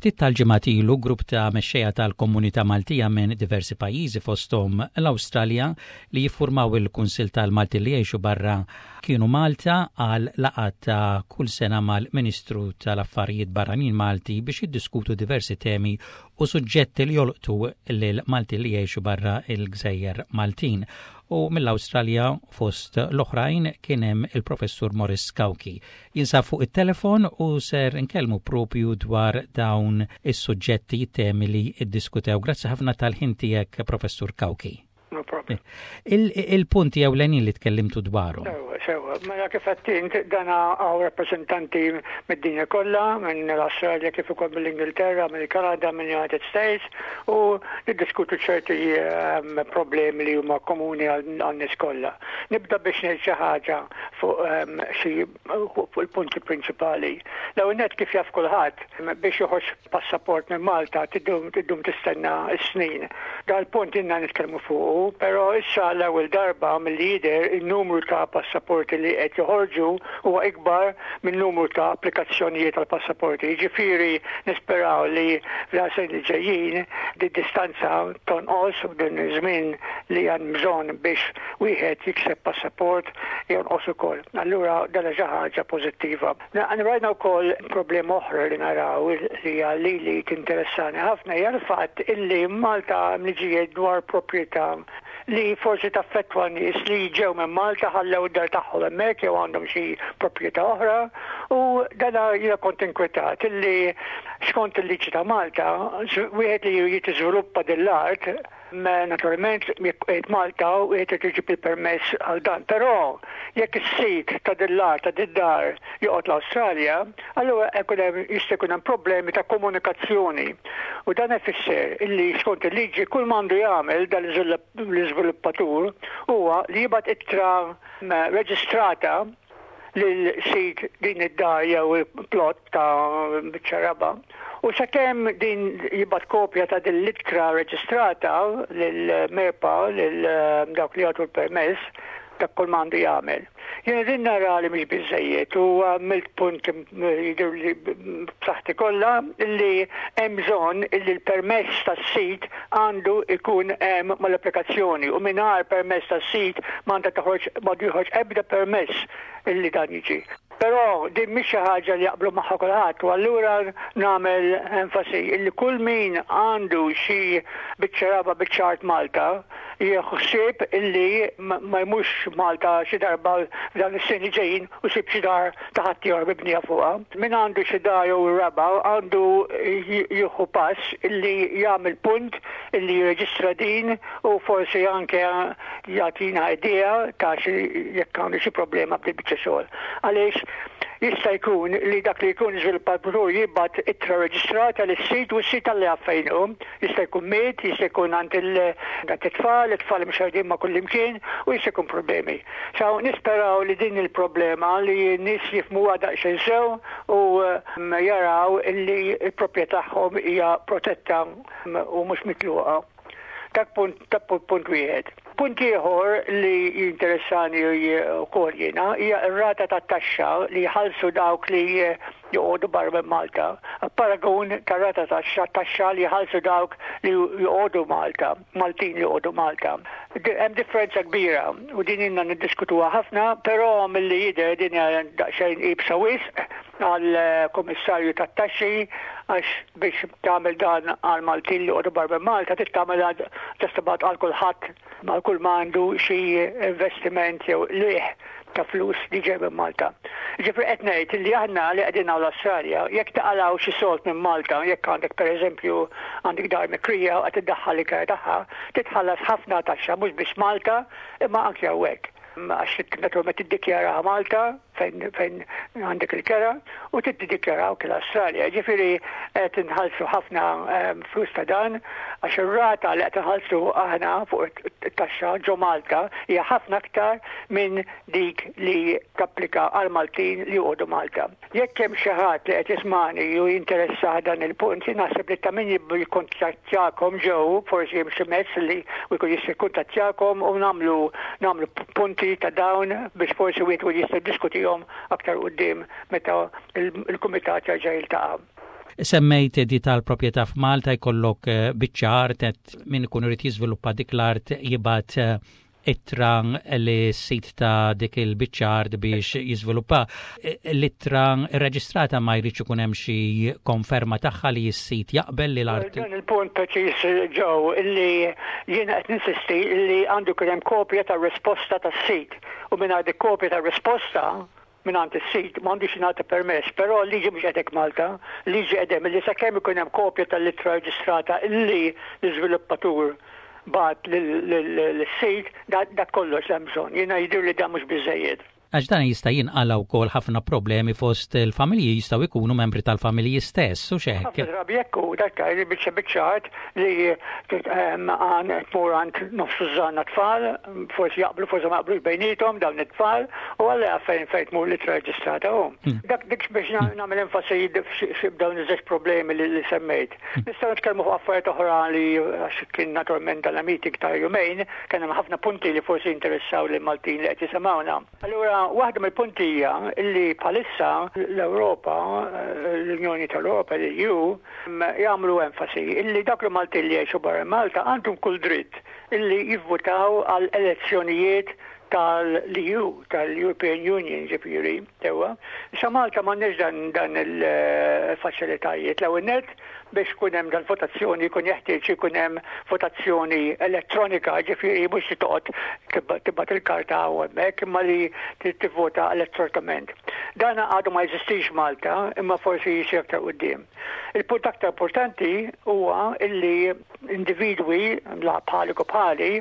Ftit tal-ġimgħat ilu grupp ta' mexxejja tal-komunità Maltija minn diversi pajjiżi fosthom l-Awstralja li jiffurmaw il-Kunsill tal-Malti li jgħixu barra kienu Malta għal laqgħa ta' kull sena mal-Ministru tal-Affarijiet Barranin Malti biex jiddiskutu diversi temi u suġġetti li jolqtu lil Malti li jgħixu barra il-Gżejjer Maltin. U mill-Awstralja fost l-oħrajn kien hemm il-Professur Morris Cauchi. Jinsab fuq it-telefon u ser nkellmu propju dwar dawn is-suġġetti temi li ddiskutew. Grazzi ħafna tal-ħin tiegħek, Professur Cauchi. No problem. Il-punti ewlenin li tkellimtu dwarhom. Sewa, sewa. Mela kif għedt int, dan hawn rappreżentanti mid-dinja kollha, minn l-Awstralja kif ukoll mill-Ingilterra, mill-Kanada, mill-United States u niddiskutu ċerti problemi li huma komuni għan-nies kollha. Nibda biex ngħid xi ħaġa fuq xi fuq il-punti prinċipali. L-ewwel nett kif jaf kulħadd biex joħroġ passaport minn Malta tiddum tistenna s-snin. Dal-punt ilna nitkellmu fuqu, però issa l-ewwel darba milli jidher in-numru ta' passaporti li qed joħorġu huwa ikbar min-numru ta' applikazzjonijiet għal passaporti. Jiġifieri nisperaw li fl-snin li ġejjin di distanza tonqos u din iż-żmien li hemm bżonn biex wieħed jikseb passaport jonqos ukoll. Allura dan xi ħaġa pożittiva. Rajna wkoll problema oħra li naraw li hija li tinteressani ħafna hija l-fatt illi Malta hemm liġijiet dwar proprjetà li forsi taffettwa nies li ġew minn Malta ħallew id-dar tagħhom hemmhekk jew għandhom xi proprjetà oħra u dan jiena kont inkwetat illi skont il-liġi ta' Malta wieħed li jitiżviluppa din l-art Naturalment, jekk qiegħed Malta u qiegħed irid iġib il-permess għal dan. Però jekk is-sid ta' din l-art, ta' din dar joqgħod l-Awstralja, allura jkun hemm jista' jkun hemm problemi ta' komunikazzjoni. U dan ifisser illi skont il-liġi kull m'għandu jagħmel dan l-iżviluppatur huwa li jibgħat ittra reġistrata lil sid din id-dar jew plot ta' biċċa raba'. U sakemm din jibgħat kopja ta' din l-ittra reġistrata lil MEPA lil dawk li jagħtu l-permess, dak kull m'għandu jagħmel. Jiena din nara li mhix biżejjed u għamilt punt jidher li b'saħħti kollha li hemm bżonn li l-permess tas-sid għandu jkun hemm mal-applikazzjoni u mingħajr permess tas-sid m'għandha toħroġ m'għandu joħroġ ebda permess illi dan jiġi. Però din mhix xi ħaġa li jaqblu magħha kulħadd u allura nagħmel enfasi illi kull min għandu xi biċċa raba' biċċa art Malta jieħu ħsieb illi ma jmurx Malta xi darba f'dawn is-snin li ġejjin u jsib xi dar ta' ħaddieħor mibnija fuqha. Min għandu xi dar jew raba' għandu jieħu pass illi jagħmel punt illi jirreġistra din u forsi anke jagħtina idea ta' xi jekk għandu xi problema b'dil biċċa xogħol. Għaliex jista' jkun li dak li jkun żviluppatur jibgħat ittra reġistrata lis-sid u s-sid Alla jaf fejn hu. Jista' jkun miet, jista' jkun għand it-tfal, it-tfal imxerrdin ma' kullimkien u jista' jkun problemi. So nisperaw li din il-problema li n-nies jifhmuha daqsxejn sew u jaraw illi l-proprjetà tagħhom hija protetta u mhux mitluqa. Dak punt, dak punt wieħed. Punt ieħor li jinteressani wkoll jiena hija r-rata tat-taxxa li jħallsu dawk li joqogħdu barra minn Malta. Paragun tar-rata taxxa li jħallsu dawk li joqogħdu Malta, Maltin li joqogħdu Malta. Hemm differenza kbira u din ilna niddiskutuha ħafna, però milli jidher din hija daqsxejn iebsa wisq għall-Kummissarju tat-Taxxi għax biex tagħmel dan għal Maltin li joqogħdu barra minn Malta trid tagħmilha just about għal kulħadd għal kull ma għandu xi investiment jew qligħ ta' flus li ġej minn Malta. Ġifieri qed ngħid li aħna li qegħdin hawn l-Awstralja, jekk taqalgħu xi sold minn Malta, jekk għandek pereżempju għandek dar mikrija u qed iddaħħal il-kera tagħha, titħallas ħafna taxxa mhux biss Malta imma anke hawnhekk. Għax naturalment tiddikjaraha Malta fejn fejn għandek il-kera u tiddikjaraw anke l-Awstralja. Ġifieri qed inħallsu ħafna flus ta' dan għax ir-rata li qed inħallsu aħna fuq it-taxxa ġo Malta hija ħafna aktar minn dik li tapplika għal Maltin li joqogħdu Malta. Jekk hemm xi ħadd li qed jismagħni u jinteressah dan il-punt, jien naħseb li ta' min jikkuntattjakom ġew, forsi hemm xi mezz li jkun jista' jikkuntattjakom u nagħmlu nagħmlu punti ta' dawn biex forsi wieħed ikun jista' jiddiskutihom aktar quddiem meta l-kumitat jerġa' jiltaqa'. Semmejt di tal-proprjetà f'Malta jkollok eh, biċċa art min ikun irid jiżviluppa dik l-art jibgħat eh, ittra li sit ta' dik il-biċċa art biex jiżviluppa. Eh, l-ittra rreġistrata ma jridx ikun hemm xi konferma tagħha li s-sit jaqbel li l-art. Dan il-punt preċiż ġew illi jiena qed ninsisti illi għandu jkun hemm kopja tar-risposta tas-sit u mingħajr dik kopja tar-risposta mingħand is-sid m'għandux jingħata permess, però l-liġi mhux qed hekk Malta, l-liġi qed hemm illi sakemm ikun hemm kopja tal-ittra reġistrata illi l-iżviluppatur bagħat lis-sid, dak kollox li hemm bżonn. Jiena jidhirli dan mhux biżżejjed. Għax dan jista' jinqala' wkoll ħafna problemi fost il-familji jistgħu jkunu membri tal-familji stess, hux hekk? Ħafna drabi hekk hu, dak li biċċa biċċa art li għan tmur għand nofs tużżana tfal, forsi jaqblu, forsi ma jaqblux bejniethom dawn it-tfal, u Alla jaf fejn fejn tmur l-ittra reġistrata hu. Dak dik biex nagħmel enfasi f'dawn iż-żewġ problemi li semmejt. Nistgħu nitkellmu fuq affarijiet oħra li għax kien naturalment dan meeting ta' jumejn, kien hemm ħafna punti li forsi jinteressaw lil Maltin li qed jisimgħuna. Allura, waħda mill-punti hija li bħalissa l-Ewropa, l-Unjoni tal-Ewropa, l-EU, jagħmlu enfasi illi dawk il-Maltin li jgħixu barra Malta għandhom kull dritt illi jivvutaw għal elezzjonijiet tal-EU, tal-European Union ġifieri, sewwa. Issa Malta m'għandniex dan, dan il-faċilitajiet. L-ewwel nett biex ikun hemm dal-votazzjoni jkun jeħtieġ ikun hemm votazzjoni elettronika, ġifieri mhux li toqgħod tibgħat il-karta hawn hemmhekk imma li tivvota elettronikament. Dan għadu ma jeżistix Malta imma forsi jsir aktar quddiem. Il-punt aktar importanti huwa illi individwi bħalik u bħali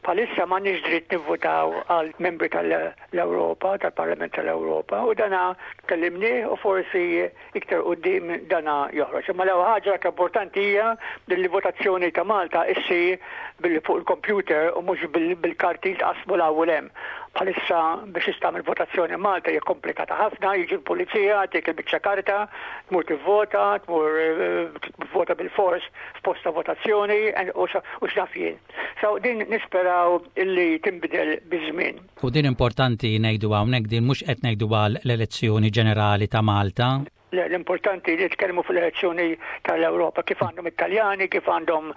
bħalissa m'għandniex dritt nivvutaw għal membri tal-Ewropa, tal-Parlament tal-Ewropa u dana tkellimnieh u forsi Iktar quddiem dana joħroġ. Imma l-ewwel ħaġa l-aktar importanti hija li l-votazzjoni ta' Malta issir billi fuq il-computer u mhux bil-karti li tqassmu 'l hawn u 'l hemm. Bħalissa biex tagħmel votazzjoni Malta hija komplikata ħafna, jiġi l-pulizija, jagħtik il-biċċa karta, tmur tivvota, tmur tivvota bilfors f'post ta' votazzjoni u x'naf jien. So din nisperaw illi tinbidel biż-żmien. U din importanti ngħidu hawnhekk din mhux qed ngħidu għal l-elezzjoni ġenerali ta' Malta. Le, l-importanti li nitkellmu fuq l-elezzjoni tal-Ewropa, kif għandhom it-Taljani, kif għandhom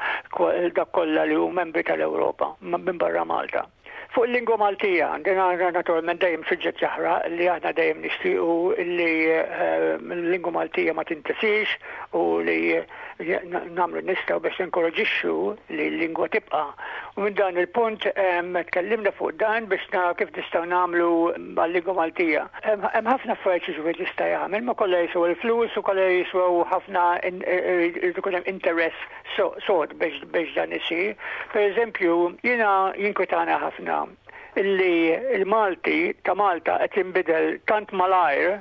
dak kollha li hu membri tal-Ewropa minn barra Malta. Fuq il-lingwa Maltija, din naturalment dejjem suġġett jaħraq li aħna dejjem nixtiequ li eh, l-lingwa Maltija ma tintesix u li nagħmlu nistgħu biex ninkoraġixxu li l-lingwa tibqa'. U minn dan il-punt tkellimna fuq dan biex naraw kif nistgħu nagħmlu għal-lingwa Maltija. Hemm ħafna affarijiet xi wieħed jista' jagħmel, ma kollha jiswew il-flus u kollha jiswew ħafna irid ikun hemm interess sod biex dan isir. Pereżempju, jiena jinkwetana ħafna illi l-Malti ta' Malta qed jinbidel tant malajr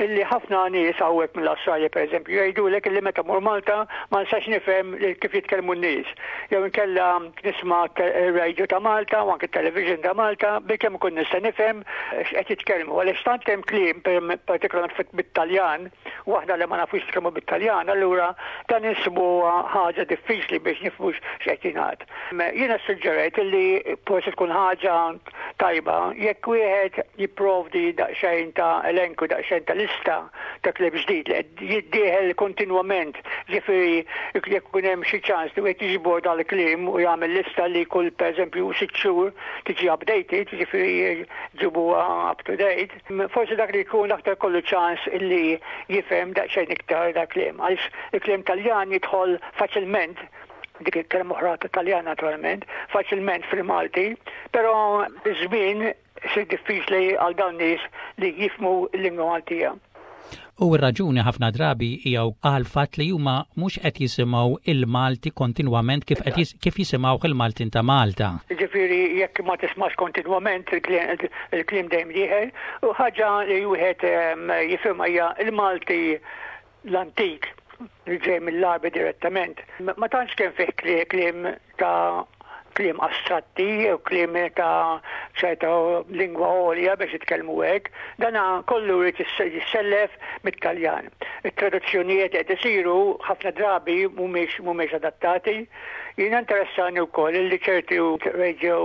illi ħafna nies hawnhekk mill-Awstralja pereżempju jgħidulek illi meta mur Malta ma nistax nifhem kif jitkellmu n-nies. Jew inkella nisma' ir-radio ta' Malta u anke t-television ta' Malta bilkemm ikun nista' nifhem x'qed jitkellmu għaliex tant hemm kliem partikolarment bit-Taljan u aħna li ma nafux nitkellmu bit-Taljan allura dan insibuha ħaġa diffiċli biex nifhmu x'qed jingħad. Jiena ssuġġerejt li forsi tkun ħaġa tajba jekk wieħed jipprovdi daqsxejn ta' elenku, daqsxejn ta' lista ta' kliem ġdid li qed jiddieħel kontinwament, ġifieri jekk ikun hemm xi ċans li wieħed jiġbor dal-kliem u jagħmel lista li kull pereżempju sitt xhur tiġi updated, ġifieri ġibuha up to date, forsi dak li jkun aktar kollu ċans li jifhem daqsxejn iktar dal-kliem għaliex il-kliem Taljan jidħol faċilment dik il-kelma oħra ta' Taljan naturalment, faċilment fil-Malti, però biż-żmien isir diffiċli għal dawn nies li jifhmu l-lingwa Maltija. U r-raġuni ħafna drabi hija għall-fatt li huma mhux qed jisimgħu il-Malti kontinwament kif qed kif jisimgħuh il-Maltin ta' Malta. Jiġifieri jekk ma tismax kontinwament il-kliem dejjem dieħel u ħaġa li wieħed ehm, jifhimha hija l-Malti l-antik li ġej mill-Għarbi direttament, ma tantx kien fih kliem ta' kliem astratti jew kliem ta' ċerta lingwa għolja biex jitkellmu hekk, dana kollu jrid jissellef mit-Taljan. It-traduzzjonijiet qed isiru ħafna drabi mhumiex mhumiex adattati. Jiena interessani wkoll li ċerti radio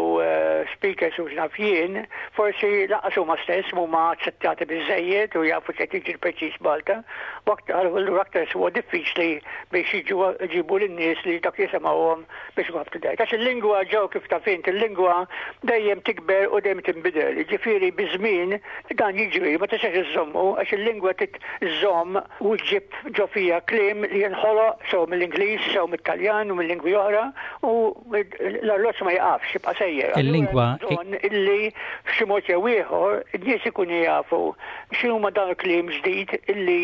speakers u x'naf jien, forsi lanqas huma stess m'huma aċċettati biżżejjed u jafu x'qed jiġri preċiż Malta, u aktar allura aktar huwa diffiċli biex jiġu jġibu lin-nies li dak jisimgħuhom biex ikun up to date. Għax il-lingwa ġew kif taf int, il-lingwa dejjem tikber u dejjem tinbidel. Jiġifieri biż-żmien dan jiġri, ma tistax iżżommu għax il-lingwa trid iżżomm u ġġib ġo fija kliem li jinħoloq sew mill-Ingliż, sew mit-Taljan u mill-lingwi oħra u l-arloġġ ma jiqafx, jibqa' sejjer. Il-lingwa bżonn illi f'xi mod jew ieħor in-nies ikunu jafu x'inhuma dan il-kliem ġdid illi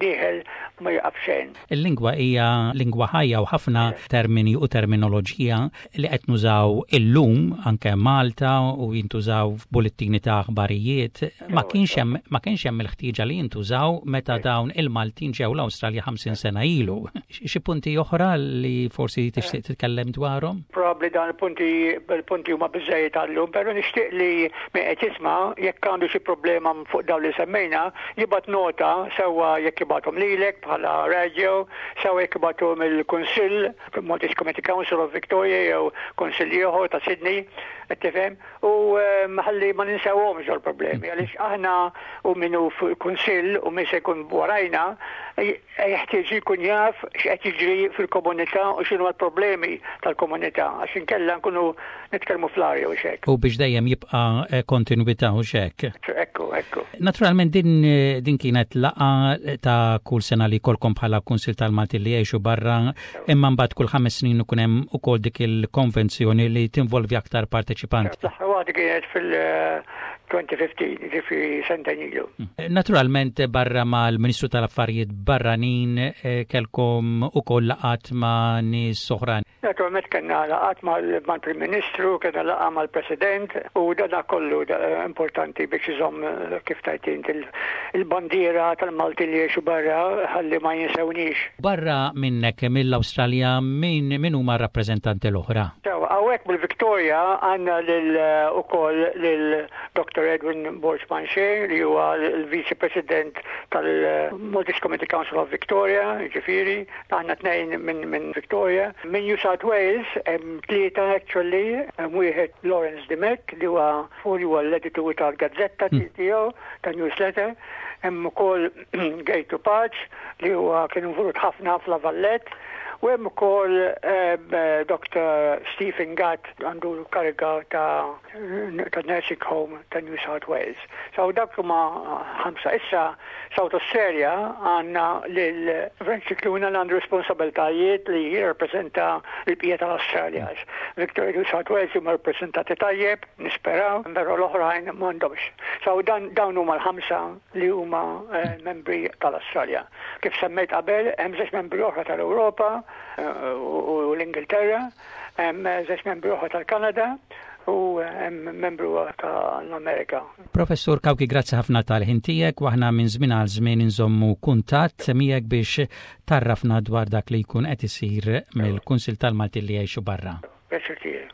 dieħel ma jieqaf xejn. Il-lingwa hija lingwa ħajja u ħafna termini u terminoloġija li qed nużaw illum anke Malta u jintużaw f'bulettini ta' aħbarijiet ma kienx hemm ma kienx hemm il-ħtieġa li jintużaw meta dawn il-Maltin ġew l-Awstralja 50 sena ilu. Xi punti oħra li forsi tixtieq titkellem dwarhom? Probabbli dan il-punti il-punti huma biżejjed għallum, però nixtieq li min qed jisma' jekk għandu xi problema fuq dawn li semmejna, jibgħat nota sewwa jekk jibgħathom lilek bħala radio, sewwa jekk jibgħathom il-Kunsill Maltese Community Council of Victoria jew kunsill ieħor ta' Sydney, qed tifhem, u ehm, ħalli ma ninsewhomx dawn problemi għaliex aħna u min hu fil-kunsill u min se jkun warajna jeħtieġ jkun jaf x'qed jiġri fil-komunità u x'inhu l-problemi tal-komunità għax inkella nkunu nitkellmu fl-arja u xek. U biex dejjem jibqa' eh, kontinwità u xek. Ekku, ekku. Naturalment din, eh, din kienet laqa ta' kull sena li kolkom bħala Kunsil tal-Malti li jgħixu barra Imma mbagħad kull ħames snin ikun hemm ukoll dik il-konvenzjoni li tinvolvi aktar parteċipanti. L-aħħar waħda kienet fil-2015, ġifieri sentejn ilu. Mm. Naturalment barra mal-Ministru tal-Affarijiet Barranin eh, kelkom ukoll laqat ma' nies oħra. Naturalment kellna laqat mal-Prim Ministru, kellna laqgħa mal-President u dana kollu importanti biex iżomm kif tajt int il-bandiera tal-Maltin li jgħixu barra ħalli ma jinsewniex. Barra minnek mill-Awstralja min min huma r-rappreżentanti l-oħra? Sewa, hawnhekk mill-Victoria għandna lil ukoll lil Dr. Edwin Borg Manché li huwa l-Viċi President tal-Maltese Community Council of Victoria, jiġifieri, Aħna tnejn minn min Victoria. Minn New South Wales hemm tlieta actually, hemm wieħed Lawrence Dimech li huwa li huwa l-editur tal-gazzetta hmm. tiegħu ta' newsletter. Hemm ukoll Gejtu Paċ li huwa kien involut ħafna f'La Vallette. U hemm ukoll eh, Dr. Stephen Gatt għandu kariga ta' ta' nursing home ta' New South Wales. So dak huma ħamsa. Issa South Australia għandna lil Frank Scicluna li għandu responsabiltajiet li jirrappreżenta l-bqija tal-Australia. Victoria New South Wales huma rappreżentati tajjeb, nisperaw, però l-oħrajn m'għandhomx. So dan dawn huma l-ħamsa li huma eh, membri tal-Australia. Kif semmejt qabel, hemm żewġ membri oħra tal-Ewropa eh, u l-Ingilterra, Hemm żewġ membri oħra tal-Kanada u hemm membru tal-Amerika. Professur Kawki, grazzi ħafna tal-ħin tiegħek u aħna minn żmien għal żmien inżommu kuntatt miegħek biex tarrafna dwar dak li jkun qed isir mill-Kunsil tal-Maltin li jgħixu barra. Pjaċir tiegħi.